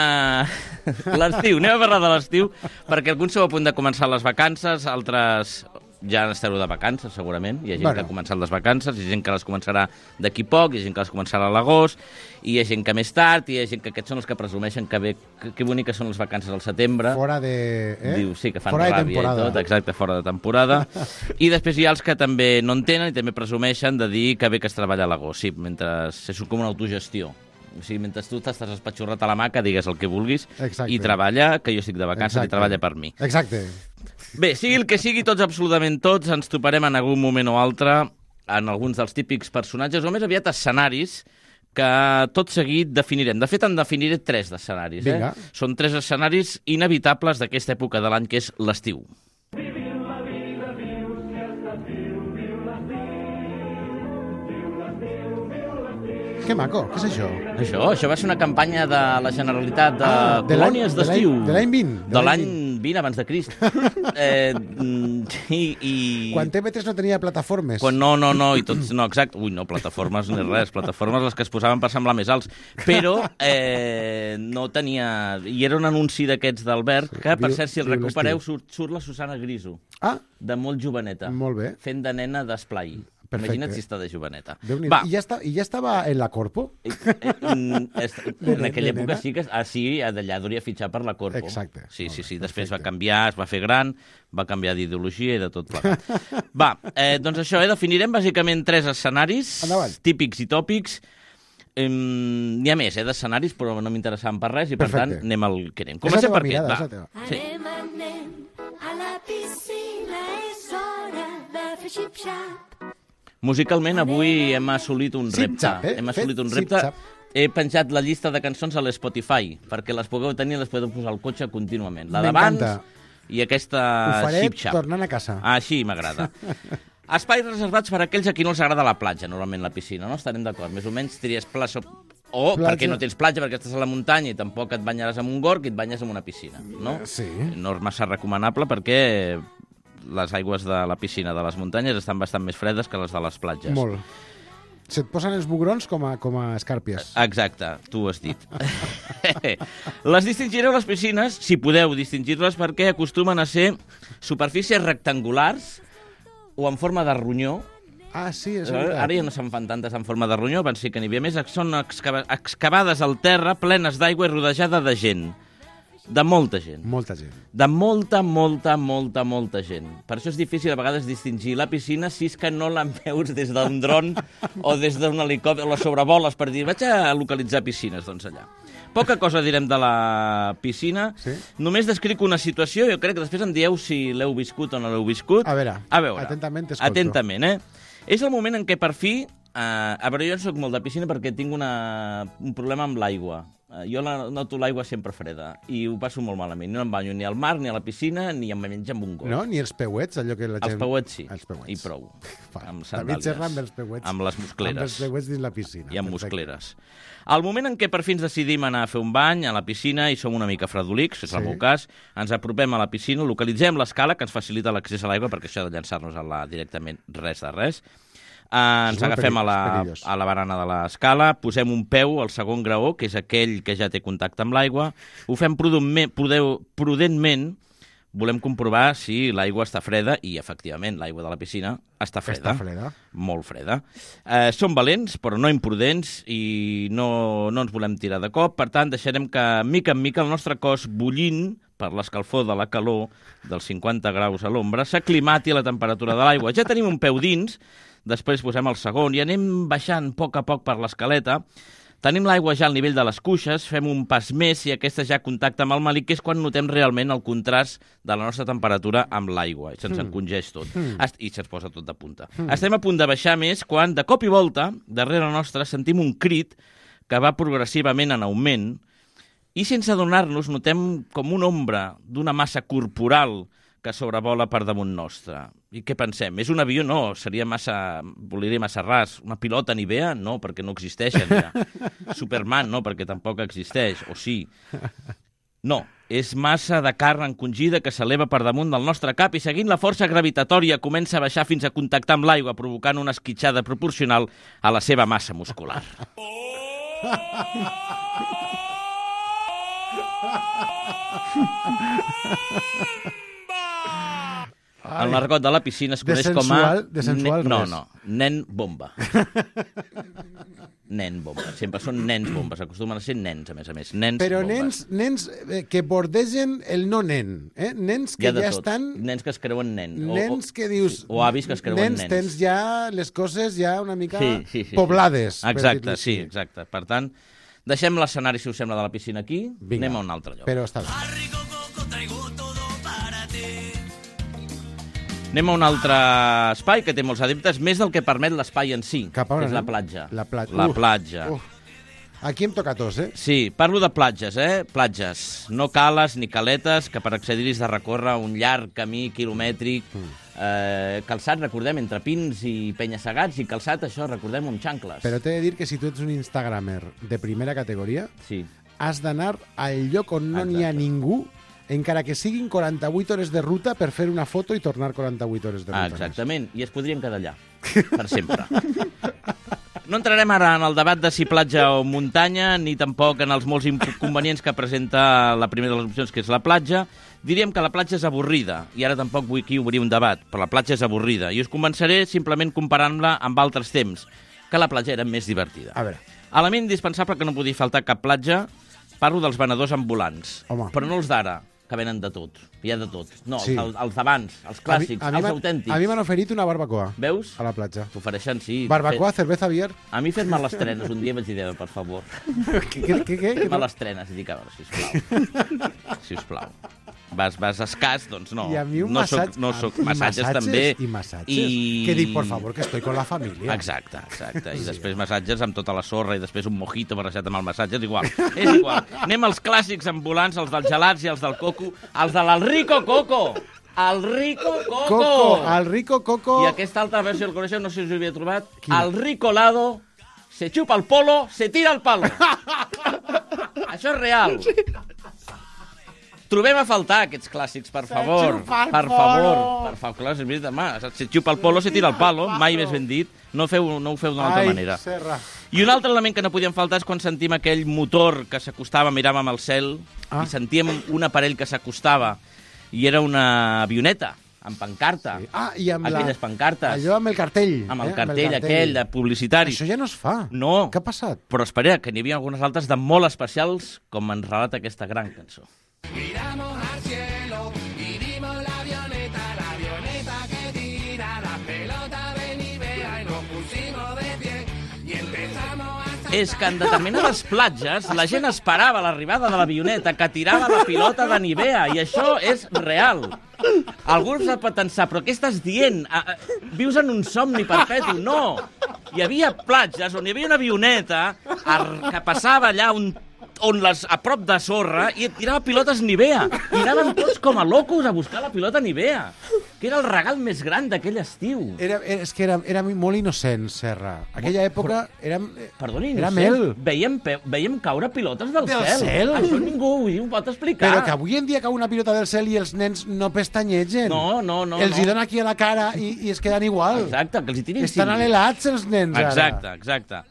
l'estiu, anem a parlar de l'estiu, perquè alguns sou a punt de començar les vacances, altres ja estareu de vacances, segurament. Hi ha gent bueno. que ha començat les vacances, hi ha gent que les començarà d'aquí poc, hi ha gent que les començarà a l'agost, i hi ha gent que més tard, i hi ha gent que aquests són els que presumeixen que bé, que, que boniques són les vacances al setembre. Fora de... Eh? Diu, sí, que fan fora ràbia i tot, exacte, fora de temporada. I després hi ha els que també no en tenen i també presumeixen de dir que bé que es treballa a l'agost. Sí, mentre és com una autogestió. O sigui, mentre tu t'estàs espatxorrat a la maca, digues el que vulguis, exacte. I treballa, que jo estic de vacances exacte. I treballa per mi. Exacte. Bé, sigui el que sigui, tots, absolutament tots, ens toparem en algun moment o altre en alguns dels típics personatges, o més aviat escenaris, que tot seguit definirem. De fet, en definiré tres d'escenaris. Eh? Són tres escenaris inevitables d'aquesta època de l'any, que és l'estiu. Que maco, què és això? Això, això va ser una campanya de la Generalitat de, ah, de colònies d'estiu. De l'any vint. De l'any vint abans de Crist. eh, i, i... Quan T V tres no tenia plataformes. Quan no, no, no, i tots... No, exacte. Ui, no, plataformes ni res. Plataformes les que es posaven per semblar més alts. Però eh, no tenia... I era un anunci d'aquests d'Albert, que, per cert, si el recupereu, surt, surt la Susana Griso. Ah. De molt joveneta. Molt bé. Fent de nena d'esplai. Perfecte. Imagina't si està de joveneta. Va. I, ja està, I ja estava en la Corpo? Eh, eh, en aquella època sí que... Ah, sí, d'allà hauria fitxar per la Corpo. Exacte. Sí, sí, sí. Després va canviar, es va fer gran, va canviar d'ideologia i de tot plegat. Va, eh, doncs això, eh, definirem bàsicament tres escenaris Endavant. Típics i tòpics. Eh, N'hi ha més, eh, d'escenaris, però no m'interessaven per res i, per Perfecte. Tant, anem al que anem. Comencem per mirada, aquest. Va. Sí. Anem, anem a la piscina, és hora de fer xip-xap. Musicalment, avui hem assolit un repte. Zip-zap, eh? Hem assolit Fet un repte. zip-zap. He penjat la llista de cançons a l'Spotify, perquè les pugueu tenir i les podeu posar al cotxe contínuament. La d'abans M'encanta. i aquesta Ho faré xip-xap. tornant a casa. Així m'agrada. Espais reservats per a aquells a qui no els agrada la platja, normalment la piscina, no? Estarem d'acord. Més o menys tries plaça o Platja. perquè no tens platja, perquè estàs a la muntanya i tampoc et banyaràs en un gorg i et banyes en una piscina, no? Sí. No és massa recomanable perquè les aigües de la piscina de les muntanyes estan bastant més fredes que les de les platges. Molt. Se't posen els bugrons com a, com a escàrpies. Exacte, tu ho has dit. Les distingireu les piscines, si podeu distingir-les, perquè acostumen a ser superfícies rectangulars o en forma de ronyó. Ah, sí, és Eh, veritat. Ara ja no se'n fan tantes en forma de ronyó, van ser que n'hi havia més. Són excava excavades al terra, plenes d'aigua i rodejada de gent. De molta gent. Molta gent. De molta, molta, molta, molta gent. Per això és difícil a vegades distingir la piscina si és que no la veus des d'un dron o des d'un helicòpter o la sobrevoles per dir vaig a localitzar piscines, doncs allà. Poca cosa direm de la piscina. Sí? Només descric una situació, jo crec que després em dieu si l'heu viscut o no l'heu viscut. A veure, a veure, atentament t'escolto. Atentament, eh? És el moment en què per fi... Eh, a veure, jo no soc molt de piscina perquè tinc una, un problema amb l'aigua. Eh, jo la, noto l'aigua sempre freda i ho passo molt malament. No em banyo ni al mar, ni a la piscina, ni em menjo amb un got. No? Ni els peuets, allò que la gent... Els peuets sí, Els peuets. i prou. Va, Amb David sandàlies. Serra amb els peuets. Amb les muscleres. Amb els peuets dins la piscina. I amb Perfecte. muscleres. Al moment en què per fi ens decidim anar a fer un bany a la piscina i som una mica fredolics, és el Sí. meu cas, ens apropem a la piscina, localitzem l'escala que ens facilita l'accés a l'aigua, perquè això de llançar-nos a la directament res de res. Uh, ens És molt agafem a la, perillós, perillós. a la barana de l'escala, posem un peu al segon graó, que és aquell que ja té contacte amb l'aigua, ho fem prudentment, prudentment, volem comprovar si l'aigua està freda, i efectivament l'aigua de la piscina està freda. Està freda. Molt freda. Eh, som valents, però no imprudents, i no, no ens volem tirar de cop. Per tant, deixarem que, mica en mica, el nostre cos bullint per l'escalfor de la calor dels cinquanta graus a l'ombra s'aclimati a la temperatura de l'aigua. Ja tenim un peu dins, després posem el segon i anem baixant a poc a poc per l'escaleta. Tenim l'aigua ja al nivell de les cuixes, fem un pas més i aquesta ja contacta amb el malic, que és quan notem realment el contrast de la nostra temperatura amb l'aigua. I se'ns Mm. encongeix tot. Mm. Est- I se'ns posa tot de punta. Mm. Estem a punt de baixar més quan, de cop i volta, darrere nostre, sentim un crit que va progressivament en augment i sense adonar-nos notem com una ombra d'una massa corporal que sobrevola per damunt nostre. I què pensem? És un avió? No, seria massa... Voliria massa ras. Una pilota Nivea? No, perquè no existeixen ja. Superman? No, perquè tampoc existeix. O sí. No, és massa de carn encongida que s'eleva per damunt del nostre cap i seguint la força gravitatòria comença a baixar fins a contactar amb l'aigua, provocant una esquitxada proporcional a la seva massa muscular. En l'argot de la piscina es De coneix com a... sensual- de sensual nen- no, res. no, nen bomba. Nen bomba. Sempre són nens bombes. Acostumen a ser nens, a més a més. Nens Però bombes. nens, nens eh, que bordegen el no nen. Eh? Nens que Hi ha de ja tot. estan... Nens que es creuen nen. O- Nens o, que dius... O avis que es creuen nens, nens. tens ja les coses ja una mica Sí, sí, sí, poblades. sí. per Exacte, dir-li sí, així. exacte. Per tant, deixem l'escenari, si us sembla, de la piscina aquí. Vinga. Anem a un altre lloc. Però està bé. Anem a un altre espai que té molts adeptes, més del que permet l'espai en si, Cap a on que és la anem? platja. La platja. La Uf, platja. uf. Aquí em toca tos, eh? Sí, parlo de platges, eh? Platges. No cales ni caletes, que per accedir-hi has de recórrer un llarg camí quilomètric. Mm. Eh, calçat, recordem, entre pins i penya-segats, i calçat, això, recordem, amb xancles. Però t'he de dir que si tu ets un instagramer de primera categoria, sí. has d'anar al lloc on no n'hi ha ningú, encara que siguin quaranta-vuit hores de ruta per fer una foto i tornar quaranta-vuit hores de ruta. Ah, exactament, i es podrien quedar allà, per sempre. No entrarem ara en el debat de si platja o muntanya, ni tampoc en els molts inconvenients que presenta la primera de les opcions, que és la platja. Diríem que la platja és avorrida, i ara tampoc vull aquí obrir un debat, però la platja és avorrida, i us convenceré simplement comparant-la amb altres temps, que la platja era més divertida. A veure. Element indispensable que no podia faltar cap platja, parlo dels venedors ambulants, Home. però no els d'ara, que venen de tot, hi ha de tot. No, Sí. els, els d'abans, els clàssics, A mi- a mi els m'han- autèntics. A mi m'han oferit una barbacoa. Veus? A la platja. T'ofereixen, sí. Barbacoa, Fet- cerveza, beer. A mi fer-me les trenes un dia vaig dir, per favor. Què, què, què? Fer-me les trenes i dic, a veure, sisplau. Sisplau. vas, vas escàs, doncs no. I a mi un no massatge... Soc, no soc, i massatges, massatges també. I massatges. I... Que dic, por favor, que estoy con la família. Exacte, exacte. I després massatges amb tota la sorra i després un mojito barrejat amb el massatge. És igual, és igual. Anem als clàssics ambulants, els dels gelats i els del coco. Els de l'Alrico Coco! El Rico Coco! Coco, el Rico Coco... I aquesta altra versió, el coneixeu, no sé si us ho havia trobat. Quina? El Rico Lado, se chupa el polo, se tira el palo. Això és real. Trobem a faltar aquests clàssics, per favor. Per favor. Per favor, clar, és demà. Se xupa el polo, se tira el palo. Mai més ben dit. No, feu, no ho feu d'una altra Ai, manera. Serra. I un altre element que no podíem faltar és quan sentim aquell motor que s'acostava, miràvem al cel, ah. i sentíem un aparell que s'acostava, i era una avioneta, amb pancarta. Sí. Ah, i amb aquelles la... pancartes. Allò amb el cartell. Amb el eh? cartell, amb el aquell, de publicitari. Això ja no es fa. No. Què ha passat? Però espera, que n'hi havia algunes altres de molt especials, com ens relata aquesta gran cançó. Miramos al cielo y vimos la avioneta, la avioneta que tira la pelota de Nivea y nos pusimos de pie y empezamos a... És que en determinades platges la gent esperava l'arribada de l'avioneta que tirava la pilota de Nivea, i això és real. Algú s'ha pot pensar, però què estàs dient? Vius en un somni perpetu? No! Hi havia platges on hi havia una avioneta que passava allà un on les, a prop de sorra, i et tirava pilotes Nivea. I anaven tots com a locos a buscar la pilota Nivea, que era el regal més gran d'aquell estiu. Era, era, és que era, era molt innocent, Serra. Aquella època era, Perdoni, era innocent. mel. Veiem, pe... Veiem caure pilotes del, Del cel. cel? Això ningú ho pot explicar. Però que avui en dia cau una pilota del cel i els nens no pestanyegen. No, no, no. Els no. hi dona aquí a la cara i, i es queden igual. Exacte, que els hi tirin... Estan alelats els nens, ara. Exacte, exacte.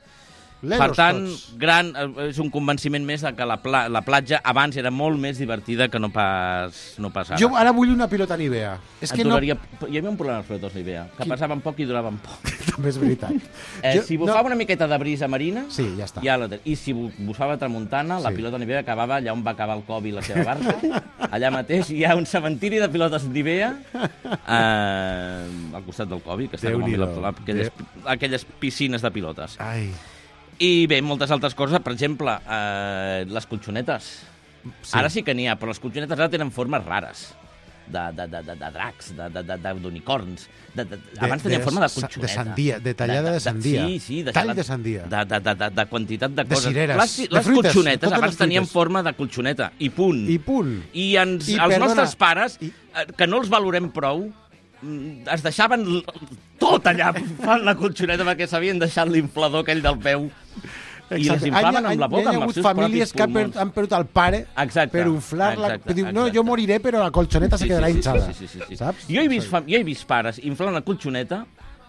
Lelos per tant, tots. gran, és un convenciment més de que la, pla, la platja abans era molt més divertida que no pas, no pas ara. Jo ara vull una pilota Nivea. És que duraria, no... Hi havia un problema amb els pilotos Nivea, que Quin? passaven poc i duraven poc. També és veritat. Eh, jo, si bufava no... una miqueta de brisa marina, sí, ja està. Ja la... I si bufava tramuntana, sí. La pilota Nivea acabava allà on va acabar el Kobe i la seva barca. Allà mateix hi ha un cementiri de pilotes Nivea eh, al costat del Kobe, que està com a aquelles, aquelles piscines de pilotes. Ai... I bé, moltes altres coses, per exemple, eh, les colxonetes. Sí. Ara sí que n'hi ha, però les colxonetes ara tenen formes rares. De, de, de, de, de dracs, d'unicorns. De, de, de, abans tenien forma de colxoneta. De sandia, de tallada de, de, de sandia. Sí, sí. De Tall de sandia. De, de, de, de, de quantitat de, de coses. Cireres, les, de les fruites, colxonetes abans tenien forma de colxoneta. I punt. I punt. I, ens, I els perdona, nostres pares, i... que no els valorem prou, es deixaven tot allà fan la colxoneta perquè s'havien deixat l'inflador aquell del peu. I les inflaven amb la boca, amb els seus propis pulmons. Hi ha hagut famílies que han perdut, han perdut el pare exacte, per inflar-la. Diu, no, jo moriré, però la colxoneta sí, se quedarà sí, sí, hinchada. Sí, sí, sí, sí. Saps? Jo he, vist, jo he vist pares inflant la colxoneta,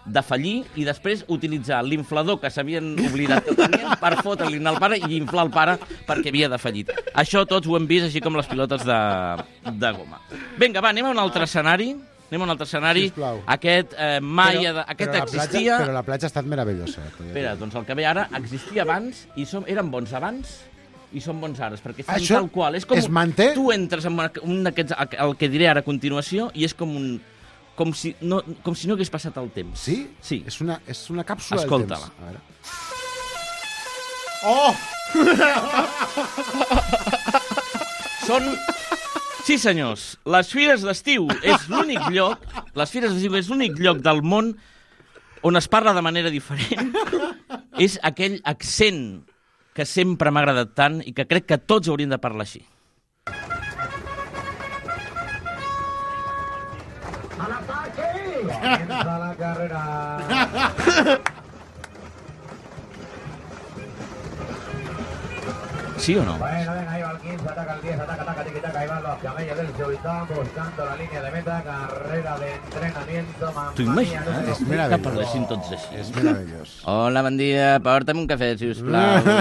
defallir i després utilitzar l'inflador que s'havien oblidat que tenien per fotre-li al pare i inflar el pare perquè havia defallit. Això tots ho hem vist, així com les pilotes de, de goma. Vinga, va, anem a un altre escenari. Anem a un altre escenari. Sisplau. Aquest eh, mai... Però, de, aquest però existia... Platja, però la platja ha estat meravellosa. Espera, doncs el que ve ara existia abans i som, eren bons abans i són bons ara, perquè fan això tal qual. És com es manté? Tu entres en un d'aquests, el que diré ara a continuació, i és com un... Com si no, com si no hagués passat el temps. Sí? Sí. És una, és una càpsula Escolta-la. del temps. Oh! Són... Sí, senyors, les Fires d'Estiu és l'únic lloc, les Fires d'Estiu és l'únic lloc del món on es parla de manera diferent. És aquell accent que sempre m'ha agradat tant i que crec que tots hauríem de parlar així. ¡A l'ataque! Comienza la carrera. ¿Sí o no? Bueno, venga, ahí va el quince, ataca el diez, ataca, ataca, tiquitaca, ahí van los camellos del Chorizán buscando la línea de meta, carrera de entrenamiento, T'ho imagines? És Que meravellós. parlessin tots així. És meravellós. Hola, bon dia, porta'm un cafè, sisplau.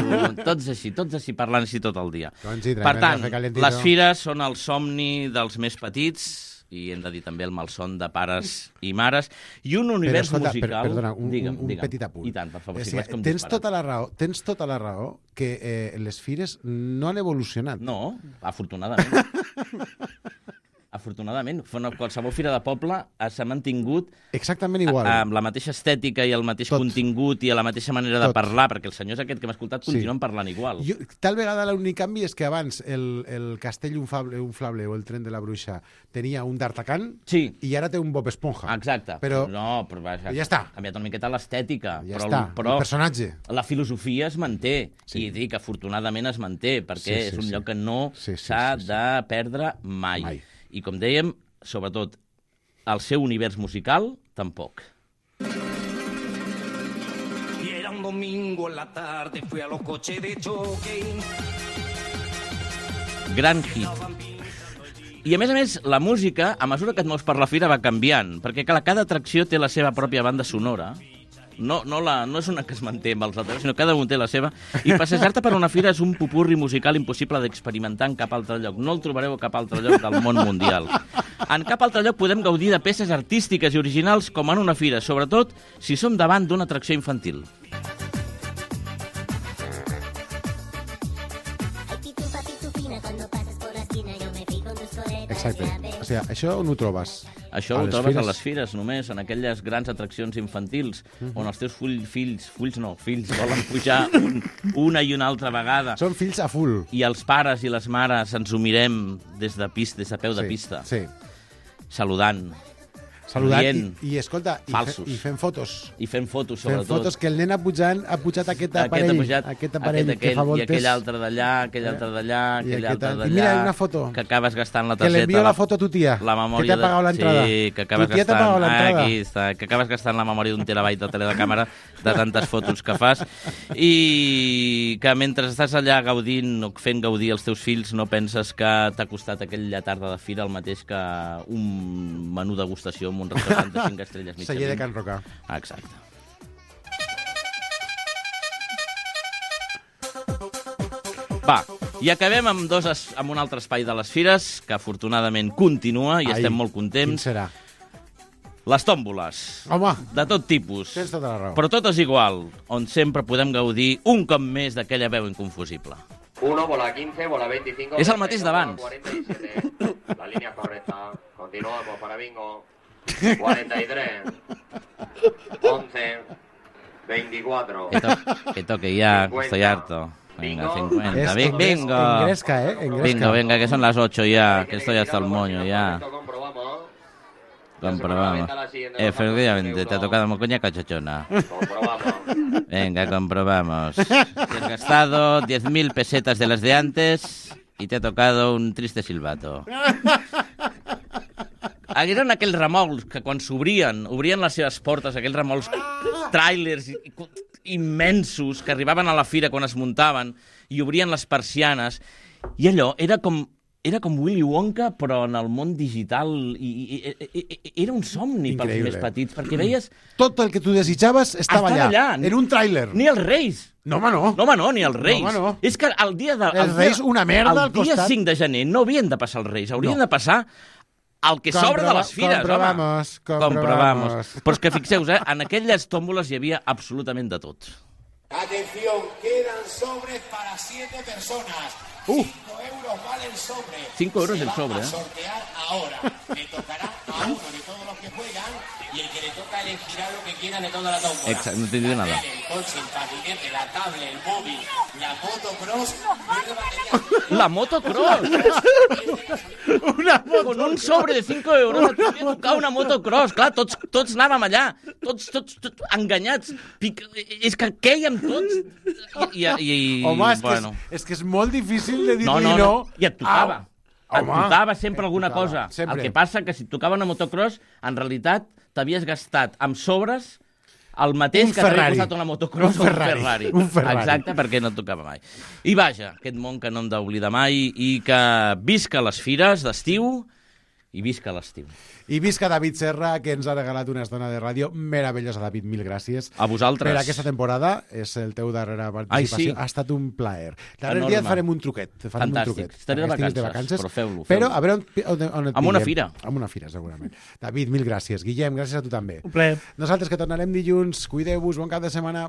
Tots així, tots així, parlant així tot el dia. Doncs sí, Per tant, cafè calentito. les fires són el somni dels més petits, i hem de dir també el malson de pares i mares, i un univers escolta, musical... Per, perdona, un, digue'm, un, un digue'm. petit apunt. I tant, per favor, és si que vaig com tens disparat. tota la raó, tens tota la raó que eh, les fires no han evolucionat. No, afortunadament. afortunadament. Una, qualsevol fira de poble s'ha mantingut exactament igual, a, amb la mateixa estètica i el mateix Tot. contingut i a la mateixa manera Tot. de parlar, perquè els senyors aquest que hem escoltat continuen sí. parlant igual. Jo, tal vegada l'únic canvi és que abans el, el castell inflable, inflable o el tren de la bruixa tenia un d'Artacan sí. i ara té un Bob Esponja. Exacte. Però, no, però vaja, ja està. Ha canviat una miqueta l'estètica. Ja però, està, però el personatge. La filosofia es manté, sí. i dic, afortunadament es manté, perquè sí, sí, és un sí. lloc que no sí, sí, s'ha sí, sí. de perdre mai. mai. I com dèiem, sobretot, el seu univers musical, tampoc. Y era un domingo en la tarde, fui a los coches de choque. Gran hit. I a més a més, la música, a mesura que et mous per la fira, va canviant, perquè cada atracció té la seva pròpia banda sonora. No, no, la, no és una que es manté amb els altres, sinó que cada un té la seva. I passejar-te per una fira és un pupurri musical impossible d'experimentar en cap altre lloc. No el trobareu a cap altre lloc del món mundial. En cap altre lloc podem gaudir de peces artístiques i originals com en una fira, sobretot si som davant d'una atracció infantil. Exacte. O sigui, això on ho trobes? Això ho trobes fires? a les fires, només, en aquelles grans atraccions infantils, uh-huh. on els teus full, fills, fulls no, fills, volen pujar un, una i una altra vegada. Són fills a full. I els pares i les mares ens ho mirem des de, pista, des de peu de sí, pista. Sí. Saludant. Saludant rient, i, i, escolta, i, fe, i fent fotos. I fent fotos, sobretot. Fent fotos que el nen ha pujat, ha pujat aquest aparell, aquest, pujat, aquest aparell aquest, aquell, que fa voltes. I aquell altre d'allà, aquell altre d'allà, aquell altre d'allà. I mira, una foto. Que acabes gastant la targeta. Que l'envio la foto a tu tia, la que t'ha pagat l'entrada. Sí, que acabes tu tia gastant... t'ha pagat l'entrada. Aquí està, que acabes gastant la memòria d'un terabyte de teledecàmera de tantes fotos que fas. I que mentre estàs allà gaudint o fent gaudir els teus fills no penses que t'ha costat aquella tarda de fira el mateix que un menú degustació amb un restaurant de cinc estrelles mitja. Celler de Can Roca. Exacte. Va, i acabem amb, dos es, amb un altre espai de les fires, que afortunadament continua i Ai, estem molt contents. Quin serà? Les tòmboles. Home. De tot tipus. Tens tota la raó. Però totes igual, on sempre podem gaudir un cop més d'aquella veu inconfusible. uno, bola quince, bola veinticinco... És el mateix d'abans. cuarenta y siete, la línea correcta. Continuamos para bingo. cuarenta y tres, once, veinticuatro. Que, to que toque ya, cincuenta, estoy harto. Venga, cincuenta. Es, Bing, bingo. Engresca, ¿eh? Engresca. Bingo, venga, que son las ocho ya, que estoy hasta el moño ya. Comprobamos. Comprobamos. Efectivamente, te ha tocado mocoña cachochona. Comprobamos. Venga, comprobamos. Te has gastado diez mil pesetas de las de antes y te ha tocado un triste silbato. Eren aquells remolcs que quan s'obrien, obrien les seves portes, aquells remolcs tràilers immensos que arribaven a la fira quan es muntaven i obrien les persianes. I allò era com, era com Willy Wonka, però en el món digital. I, i, i, i, era un somni Increïble. Pels més petits, perquè veies... Tot el que tu desitjaves estava, estava allà, allà, en un tràiler. Ni els Reis. No, home, no. No, home, no, ni els Reis. No, home, no. És que el dia de... Els Reis, una merda al costat. El dia cinc de gener no havien de passar els Reis, haurien no. de passar... El que Comprova, sobra de les fires, comprobamos, home. Comprobamos. Comprobamos. Però és que fixeu-vos, eh, en aquelles tòmboles hi havia absolutament de tot. Atención, quedan sobres para siete personas. Uh. cinco euros vale el sobre. cinco euros el sobre, eh. Se va a sortear ahora. Le tocará a uno de todos los que juegan y el que le toca elegirá lo que quiera de toda la tómbola. Exacto, no te digo nada. El coche, el patinete, la tablet, el móvil, la motocross. La motocross. Una moto Con un sobre de cinco euros et podia tocar una motocross. Clar, tots, tots anàvem allà, tots, tots, tots enganyats. Pic... És que quèiem tots. I, i, i, Home, és, bueno. que és, és que és molt difícil de dir-li no, no. no, no. I et tocava. Au. Et tocava sempre alguna tocava, cosa. Sempre. El que passa que si et tocava una motocross, en realitat t'havies gastat amb sobres el mateix un que t'havia Ferrari. costat una motocross un o un Ferrari. Ferrari. Un Ferrari. Exacte, perquè no et tocava mai. I vaja, aquest món que no hem d'oblidar mai i que visca les fires d'estiu i visca l'estiu. I visca David Serra, que ens ha regalat una estona de ràdio meravellosa. David, mil gràcies. A vosaltres. Per aquesta temporada, és el teu darrera participació. Ai, sí. Ha estat un plaer. Darrer Enorme. dia et farem un truquet. Farem Fantàstic. Un truquet. Estaré de vacances, de vacances, però feu-lo. Feu però a veure on, on, on et Amb una pillem. fira. Amb una fira, segurament. David, mil gràcies. Guillem, gràcies a tu també. Un plaer. Nosaltres que tornarem dilluns. Cuideu-vos, bon cap de setmana.